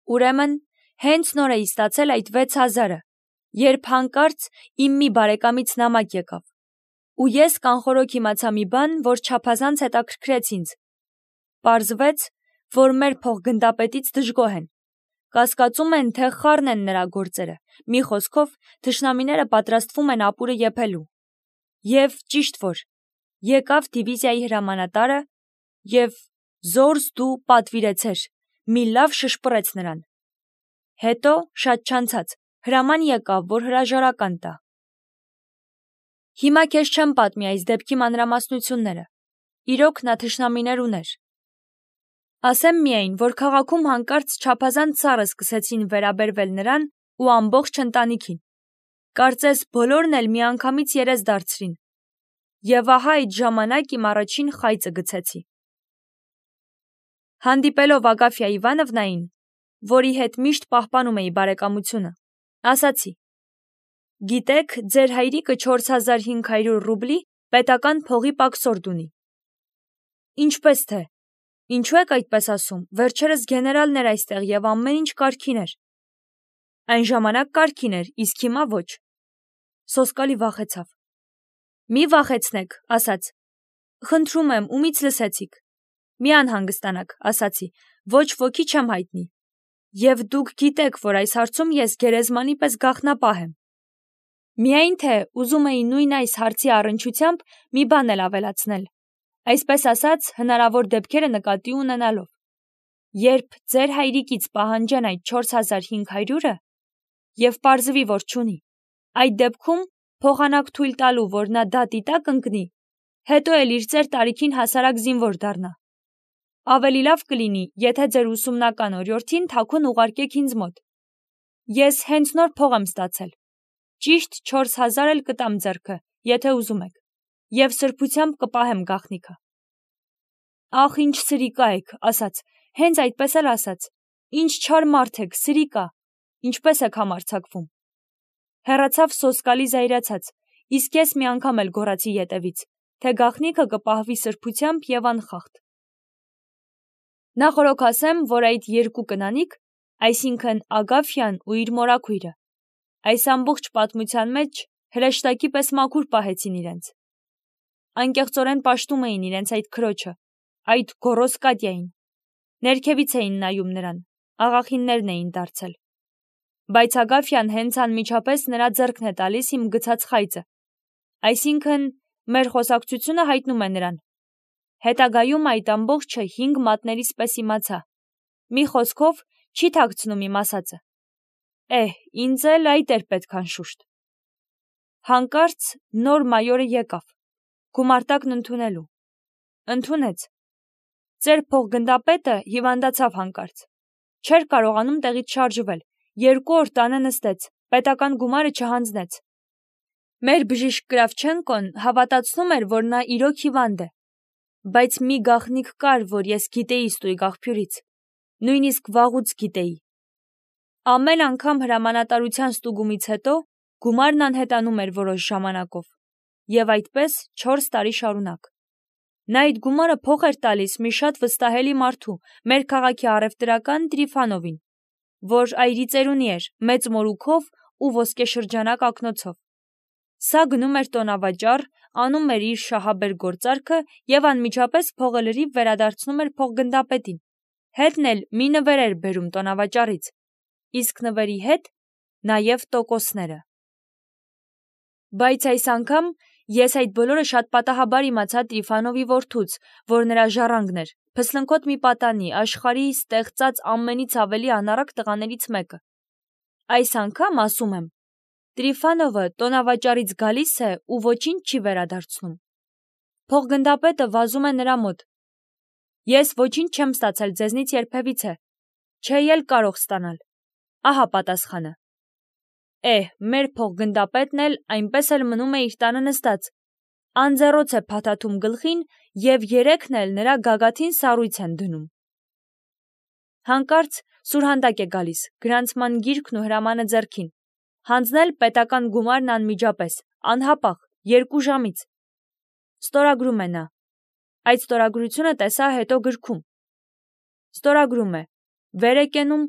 Ուրեմն, հենց նոր էի ստացել այդ 6,000-ը, երբ հանկարծ իմ մի բարեկամից նամակ եկավ, ու ես կանխորոք իմացա մի բան, որ չափազանց հետաքրքրեց ինձ. պարզվեց, որ մեր փոխգնդապետից դժգոհ են, կասկածում են, թե խառն են նրա գործերը, մի խոսքով, թշնամիները պատրաստվում են ապուրը եփելու, և ճիշտ որ, եկավ դիվիզիայի հրամանատարը և զորս դու պատվիրեցեր, մի լավ շշպռեց նրան, հետո շատ չանցած, հրաման եկավ, որ հրաժարական տա։ Հիմա քեզ չեմ պատմի այս դեպքի մանրամասնությունները, իրոք նա թշնամիներ ուներ։ Ասեմ միայն, որ քաղաքում հանկարծ չափազանց սառը սկսեցին վերաբերվել նրան ու ամբողջ ընտանիքին, կարծես բոլորն էլ միանգամից երես դարձրին, և ահա այդ ժամանակ իմ առաջին խայծը գցեցի։ Հանդիպելով Ագաֆյա Իվանովնային, որի հետ միշտ պահպանում էի բարեկամությունը, ասացի. գիտեք, ձեր հայրիկը 4500 ռուբլի պետական փողի պակսորդ ունի։ Ինչպես թե, ինչու եք այդպես ասում, վերջերս գեներալներ այստեղ և ամեն ինչ կարգին էր։ Այն ժամանակ կարգին էր, իսկ հիմա ոչ։ Սոսկալի վախեցավ։ Մի վախեցնեք, ասաց, խնդրում եմ, ումից լսեցիք։ Մի անհանգստանաք, ասացի, ոչ ոքի չեմ հայտնի։ Եվ դուք գիտեք, որ այս հարցում ես գերեզմանի պես գաղտնապահ եմ։ Միայն թե ուզում էի նույն այս հարցի առնչությամբ մի բան էլ ավելացնել, այսպես ասած, հնարավոր դեպքերը նկատի ունենալով։ Երբ ձեր հայրիկից պահանջեն այդ 4500-ը և պարզվի, որ չունի, այդ դեպքում փոխանակ թույլ տալու, որ նա դատի տակ ընկնի, հետո էլ իր ծեր տարիքին հասարակ զինվոր դառնա։ Ավելի լավ կլինի, եթե ձեր ուսումնական օրիորդին թաքուն ուղարկեք ինձ մոտ։ Ես հենց նոր փող եմ ստացել։ Ճիշտ 4000 էլ կտամ ձեռքը, եթե ուզում եք, և սրբությամբ կպահեմ գաղտնիքը։ Ախ, ինչ սրիկա եք, ասաց, հենց այդպես էլ ասաց, ինչ չար մարդ եք, սրիկա, ինչպես եք համարձակվում։ Հեռացավ սոսկալի զայրացած, իսկ ես մի անգամ էլ գոռացի ետևից, թե գաղտնիքը կպահվի սրբությամբ և անխախտ։ Նախորոք ասեմ, որ այդ երկու կնանիք, այսինքն Ագաֆյան ու իր մորաքույրը, այս ամբողջ պատմության մեջ հրեշտակի պես մաքուր պահեցին իրենց։ Անկեղծորեն պաշտում էին իրենց այդ քրոջը, այդ գոռոզ Կատյային։ Ներքևից էին նայում նրան, աղախիններն էին դարձել։ Բայց Ագաֆյան հենց անմիջապես նրա ձեռքն է տալիս իմ գցած խայծը, այսինքն մեր խոսակցությունը հայտնում է նրան։ Հետագայում այդ ամբողջը 5 մատներից պես իմացա։ Մի խոսքով չի թաքցնում իմ ասածը։ Ինձ էլ այդ էր պետք անշուշտ։ Հանկարծ նոր մայորը եկավ, գումարտակն ընդունելու։ Ընդունեց։ Ձեր փոխգնդապետը հիվանդացավ հանկարծ։ Չէր կարողանում տեղից շարժվել, 2 օր տանը նստեց, պետական գումարը չհանձնեց։ Մեր բժիշկ Կրավչենկոն հավատացնում էր, որ նա իրոք հիվանդ է, բայց մի գաղտնիք կար, որ ես գիտեի ստույգ աղբյուրից, նույնիսկ վաղուց գիտեի։ Ամեն անգամ հրամանատարության ստուգումից հետո գումարն անհետանում էր որոշ ժամանակով, և այդպես 4 տարի շարունակ։ Նա այդ գումարը փող էր տալիս մի շատ վստահելի մարդու, մեր քաղաքի առևտրական Տրիֆանովին, որ այրիծերունի էր, մեծ մորուքով ու ոսկեշրջանակ ակնոցով։ Սա գնում էր տոնավաճառ, անում էր իր շահաբեր գործարքը և անմիջապես փողը լրիվ վերադարձնում էր փոխգնդապետին, հետն էլ մի նվեր էր բերում տոնավաճառից, իսկ նվերի հետ նաև տոկոսները։ Բայց այս անգամ ես այդ բոլորը շատ պատահաբար իմացա Տրիֆանովի որդուց, որ նրա ժառանգն էր, փսլնքոտ մի պատանի, աշխարհի ստեղծած ամենից ավելի անառակ տղաներից մեկը։ Այս անգամ, ասում եմ, Տրիֆանովը տոնավաճառից գալիս է ու ոչինչ չի վերադարձնում։ Փոխգնդապետը վազում է նրա մոտ։ Ես ոչինչ չեմ ստացել ձեզնից երբևիցե, չէի էլ կարող ստանալ։ Ահա պատասխանը։ Մեր փոխգնդապետն էլ այնպես էլ մնում է իր տանը նստած, անձեռոց է փաթաթում գլխին և 3-ն էլ նրա գագաթին սառույց են դնում։ Հանկարծ սուրհանդակ է գալիս, գրանցման գիրքն ու հրամանը ձեռքին, հանձնել պետական գումարն անմիջապես, անհապաղ, 2 ժամից։ Ստորագրում է նա։ Այդ ստորագրությունը տեսա հետո գրքում։ Ստորագրում է, վեր է կենում,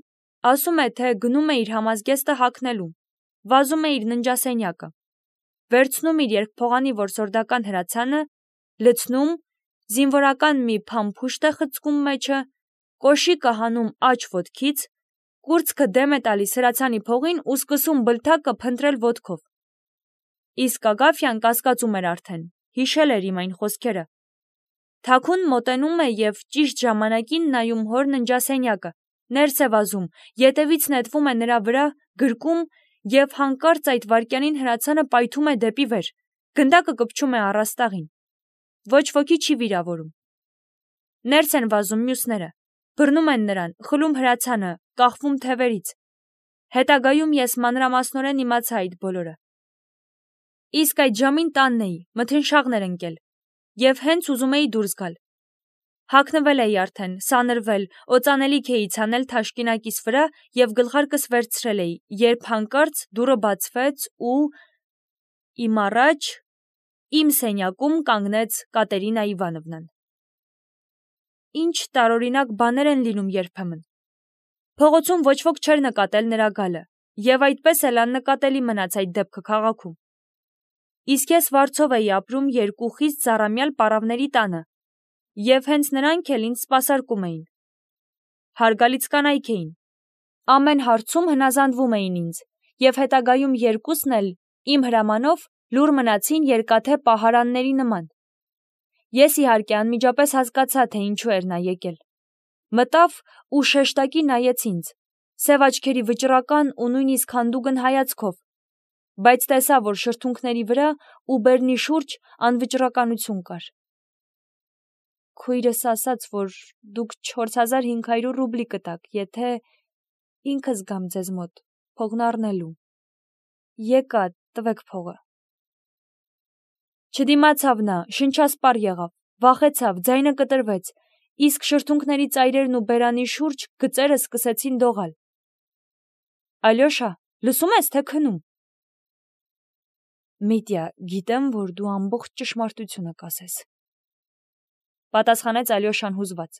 Ասում է, թե գնում է իր համազգեստը հագնելու, վազում է իր ննջասենյակը, վերցնում իր երկփողանի որսորդական հրացանը, լցնում, զինվորական մի փամփուշտ է խցկում մեջը, կոշիկը հանում աջ ոտքից, կուրծքը դեմ է տալիս հրացանի փողին ու սկսում բլթակը փնտրել ոտքով։ Իսկ Ագաֆյան կասկածում էր արդեն, հիշել էր իմ այն խոսքերը։ Թաքուն մոտենում է և ճիշտ ժամանակին նայում հոր ննջասենյակը, ներս է վազում, ետևից նետվում է նրա վրա, գրկում և հանկարծ այդ վայրկյանին հրացանը պայթում է դեպի վեր, գնդակը կպչում է առաստաղին։ Ոչ ոքի չի վիրավորում։ Ներս են վազում մյուսները, բռնում են նրան, խլում հրացանը, կախվում թևերից։ Հետագայում ես մանրամասնորեն իմացա այդ բոլորը։ Իսկ այդ ժամին տանն էի, մթնշաղն էր ընկել, և հենց ուզում էի դուրս գալ։ Հագնվել էի արդեն, սանրվել, օծանելիք էի ցանել թաշկինակիս վրա և գլխարկս վերցրել էի, երբ հանկարծ դուռը բացվեց ու իմ առաջ, իմ սենյակում կանգնեց Կատերինա Իվանովնան։ Ինչ տարօրինակ բաներ են լինում երբեմն։ Փողոցում ոչ ոք չէր նկատել նրա գալը, և այդպես էլ աննկատելի մնաց այդ դեպքը քաղաքում։ Իսկ ես վարձով էի ապրում երկու խիստ ծառամյալ պառավների տանը, և հենց նրանք էլ ինձ սպասարկում էին։ Հարգալից կանայք էին, ամեն հարցում հնազանդվում էին ինձ, և հետագայում երկուսն էլ իմ հրամանով լուռ մնացին երկաթե պահարանների նման։ Ես իհարկե անմիջապես հասկացա, թե ինչու էր նա եկել։ Մտավ ու շեշտակի նայեց ինձ, սև աչքերի վճռական ու նույնիսկ հանդուգն հայացքով, բայց տեսա, որ շրթունքների վրա ու բերնի շուրջ անվճռականություն կար։ Քույրս ասաց, որ դուք 4500 ռուբլի կտաք, եթե ինքս գամ ձեզ մոտ, փողն առնելու։ Եկա, տվեք փողը։ Չդիմացավ նա, շնչասպառ եղավ, վախեցավ, ձայնը կտրվեց, իսկ շրթունքների ծայրերն ու բերանի շուրջ գծերը սկսեցին դողալ։ Ալյոշա, լսում ես, թե քնում։ Միտյա, գիտեմ, որ դու ամբողջ ճշմարտությունը կասես, պատասխանեց Ալյոշան հուզված։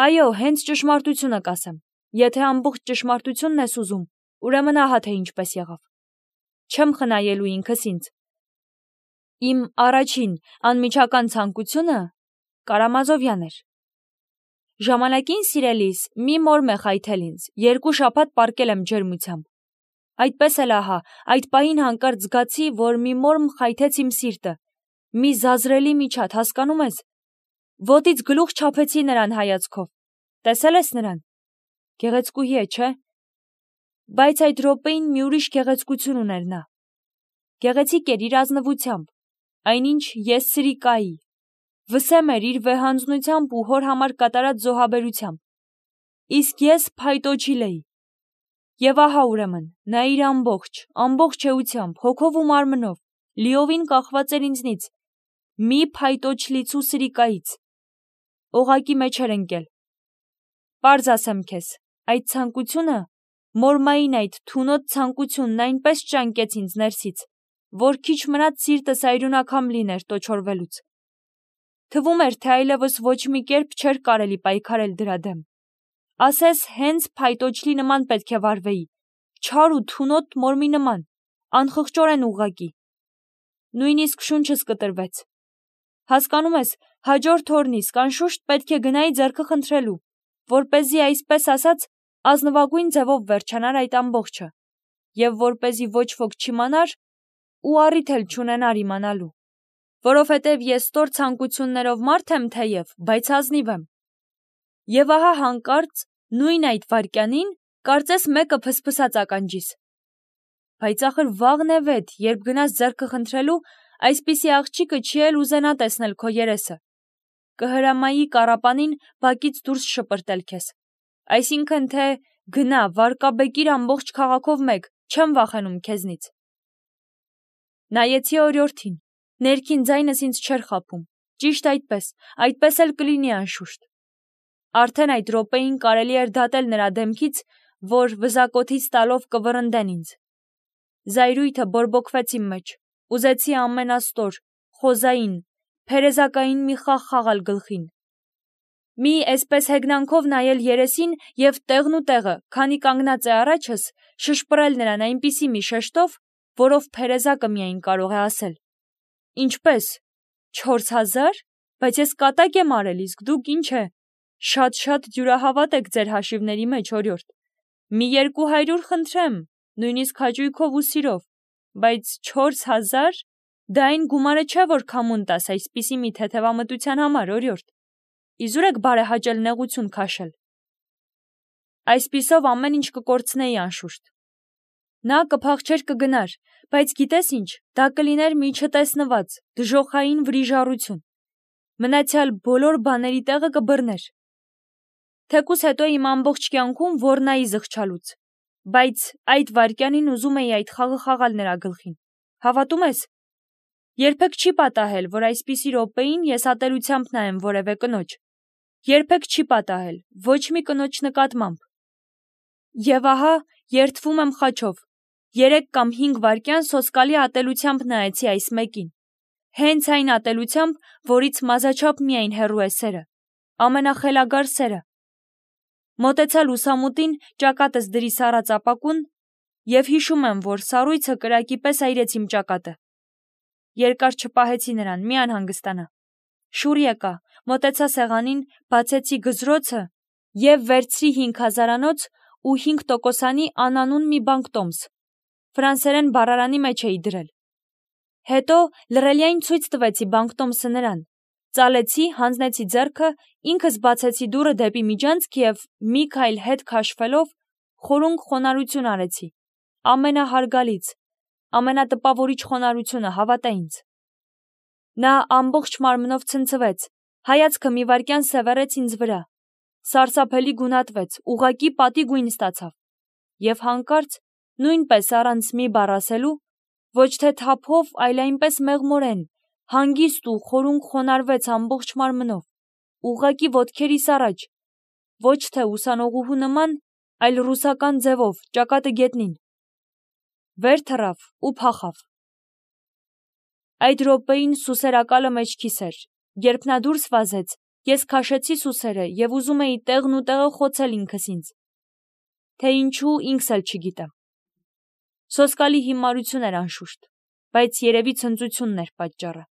Այո, հենց ճշմարտությունը կասեմ։ Եթե ամբողջ ճշմարտությունն ես ուզում, ուրեմն ահա թե ինչպես եղավ։ Չեմ խնայելու ինքս ինձ։ Իմ առաջին անմիջական ցանկությունը Կարամազովյան էր։ Ժամանակին սիրելիս մի մորմ է խայթել ինձ, 2 շաբաթ պառկել եմ ջերմությամբ։ Այդպես էլ ահա, այդ պահին հանկարծ զգացի, որ մի մորմ խայթեց իմ սիրտը, մի զազրելի միջատ, հասկանում ես։ Ոտից գլուխ չափեցի նրան հայացքով։ Տեսել ես նրան։ Գեղեցկուհի է, չէ՞։ Բայց այդ րոպեին մի ուրիշ գեղեցկություն ուներ նա։ Գեղեցիկ էր իր ազնվությամբ, այնինչ ես սրիկայի, վսեմ էր իր վեհանձնությամբ ու հոր համար կատարած զոհաբերությամբ։ Իսկ ես փայտոջիլ էի։ Եվ ահա ուրեմն, նա իր ամբողջ էությամբ, հոգով ու մարմնով, լիովին կախված էր ինձնից, մի փայտոջլից ու սրիկայից։ Օղակի մեջ էր ընկել։ Պարզ ասեմ քեզ, այդ ցանկությունը, մորմային այդ թունոտ ցանկությունն այնպես ճանկեց ինձ ներսից, որ քիչ մնաց սիրտս այրունակամ լիներ տոչորվելուց։ Թվում էր, թե այլևս ոչ մի կերպ չէր կարելի պայքարել դրա դեմ։ Ասես հենց փայտոջլի նման պետք է վարվեի, չար ու թունոտ մորմի նման, անխղճորեն ուղղակի։ Նույնիսկ շունչս կտրվեց։ Հասկանում ես, հաջորդ օրնից կանշուշտ պետք է գնայի ձեռքը խնդրելու, որպեսզի այսպես ասած ազնվագույն ձևով վերջանար այդ ամբողջը, և որպեսզի ոչ ոք չիմանար ու առիթ էլ չունենար իմանալու, որովհետև ես ստոր ցանկություններով մարդ եմ թեև, բայց ազնիվ եմ։ Եվ ահա հանկարծ նույն այդ վայրկյանին կարծես մեկը փսփսաց ականջիս։ Բայց ախր վաղն է վետ, երբ գնաս ձեռքը խնդրելու, այսպիսի աղջիկը չի էլ ուզենա տեսնել քո երեսը։ Կհրամայի կառապանին բակից դուրս շպրտել քեզ։ Այսինքն թե գնա, վարկաբեկիր ամբողջ քաղաքով մեկ, չեմ վախենում քեզնից։ Նայեցի օրիորդին, ներքին ձայնս ինձ չէր խաբում, ճիշտ այդպես էլ կլինի անշուշտ։ Արդեն այդ րոպեին կարելի էր դատել նրա դեմքից, որ վզակոթից տալով կվռնդեն ինձ։ Զայրույթը բորբոքվեց իմ մեջ, ուզեցի ամենաստոր, խոզային, փերեզակային մի խաղ խաղալ գլխին։ Մի այսպես հեգնանքով նայել երեսին և տեղն ու տեղը, քանի կանգնած է առաջս, շշպռել նրան այնպիսի մի շեշտով, որով Փերեզակը միայն կարող է ասել. «Ինչպե՞ս, 4,000, բայց ես կատակ եմ արել, իսկ դուք ինչ է, շատ դյուրահավատ եք ձեր հաշիվների մեջ, օրիորդ, մի 200 խնդրեմ, նույնիսկ հաճույքով ու սիրով, բայց 4,000, դա այն գումարը չէ, որ քամուն տաս այսպիսի մի թեթևամտության համար, օրիորդ, իզուր եք բարեհաճել նեղություն քաշել»։ Այսպիսով ամեն ինչ կկորցնեի անշուշտ։ Նա կփախչեր կգնար, բայց գիտես ինչ, դա կլիներ մի չտեսնված, դժոխային վրիժառություն։ Մնացյալ բոլոր բաների տեղը կբռներ։ Թեկուզ հետո իմ ամբողջ կյանքում ոռնայի զղջալուց, բայց այդ վայրկյանին ուզում էի այդ խաղը խաղալ նրա գլխին։ Հավատում ես։ Երբեք չի պատահել, որ այսպիսի րոպեին ես ատելությամբ նայեմ որևէ կնոջ։ Երբեք չի պատահել, ոչ մի կնոջ նկատմամբ։ Եվ ահա, երդվում եմ խաչով, 3 կամ 5 վայրկյան սոսկալի ատելությամբ նայեցի այս մեկին։ Հենց այն ատելությամբ, որից մազաչափ միայն հեռու է սերը, ամենախելագար սերը։ Մոտեցա լուսամուտին, ճակատս դրի սառած ապակուն և հիշում եմ, որ սառույցը կրակի պես այրեց իմ ճակատը։ Երկար չպահեցի նրան, մի անհանգստանա։ Շուռ եկա, մոտեցա սեղանին, բացեցի գզրոցը և վերցրի 5,000-անոց ու 5%-անի անանուն մի բանկտոմս։ Ֆրանսերեն բառարանի մեջ էի դրել։ Հետո լռելիայն ցույց տվեցի բանկտոմսը նրան, ծալեցի, հանձնեցի ձեռքը, ինքս բացեցի դուռը դեպի միջանցք և մի քայլ հետ քաշվելով խորունկ խոնարհություն արեցի։ Ամենահարգալից, ամենատպավորիչ խոնարհությունը, հավատա ինձ։ Նա ամբողջ մարմնով ցնցվեց, հայացքը մի վայրկյան սևեռեց ինձ վրա, սարսափելի գունատվեց, ուղղակի պատի գույն ստացավ, և հանկարծ, նույնպես առանց մի բառ ասելու, ոչ թե թափով, այլ այնպես մեղմորեն, հանգիստ ու խորունկ խոնարհվեց ամբողջ մարմնով, ուղղակի ոտքերիս առաջ, ոչ թե ուսանողուհու նման, այլ ռուսական ձևով, ճակատը գետնին։ Վեր թռավ ու փախավ։ Այդ րոպեին սուսերակալը մեջքիս էր, երբ նա դուրս վազեց, ես քաշեցի սուսերը և ուզում էի տեղն ու տեղը խոցել ինքս ինձ։ Թե ինչու ինքս էլ չգիտեմ։ Սոսկալի հիմարություն էր անշուշտ, բայց երևի ցնծությունն էր պատճառը։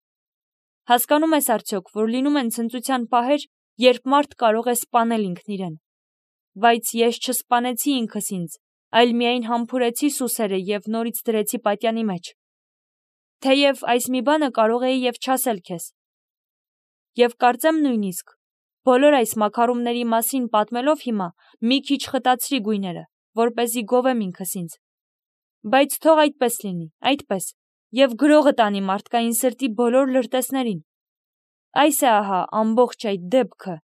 Հասկանում ես արդյոք, որ լինում են ցնծության պահեր, երբ մարդ կարող է սպանել ինքն իրեն։ Բայց ես չսպանեցի ինքս ինձ, այլ միայն համբուրեցի սուսերը և նորից դրեցի պատյանի մեջ։ Թեև այս մի բանը կարող էի և չասել քեզ։ Եվ կարծեմ նույնիսկ, բոլոր այս մաքարումների մասին պատմելով հիմա մի քիչ խտացրի գույները, որպեսզի գովեմ ինքս ինձ։ Բայց թող այդպես լինի, այդպես, և գրողը տանի մարդկային սրտի բոլոր լրտեսներին։ Այս է ահա ամբողջ այդ դեպքը,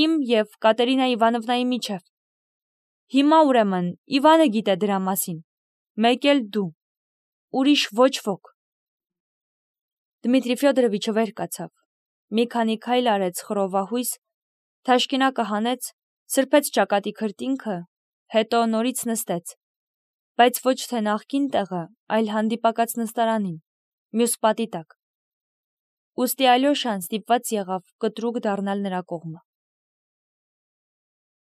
իմ և Կատերինա Իվանովնայի միջև։ Հիմա ուրեմն Իվանը գիտե դրա մասին, մեկ էլ դու, ուրիշ ոչ ոք։ Դմիտրի Ֆյոդորովիչը վեր կացավ, մի քանի քայլ արեց խռովահույս, թաշկինակը հանեց, սրբեց ճակատի քրտինքը, հետո նորից նստեց, բայց ոչ թե նախկին տեղը, այլ հանդիպակաց նստարանին, մյուս պատի տակ։ Ուստի Ալյոշան ստիպված եղավ կտրուկ դառնալ նրա կողմը։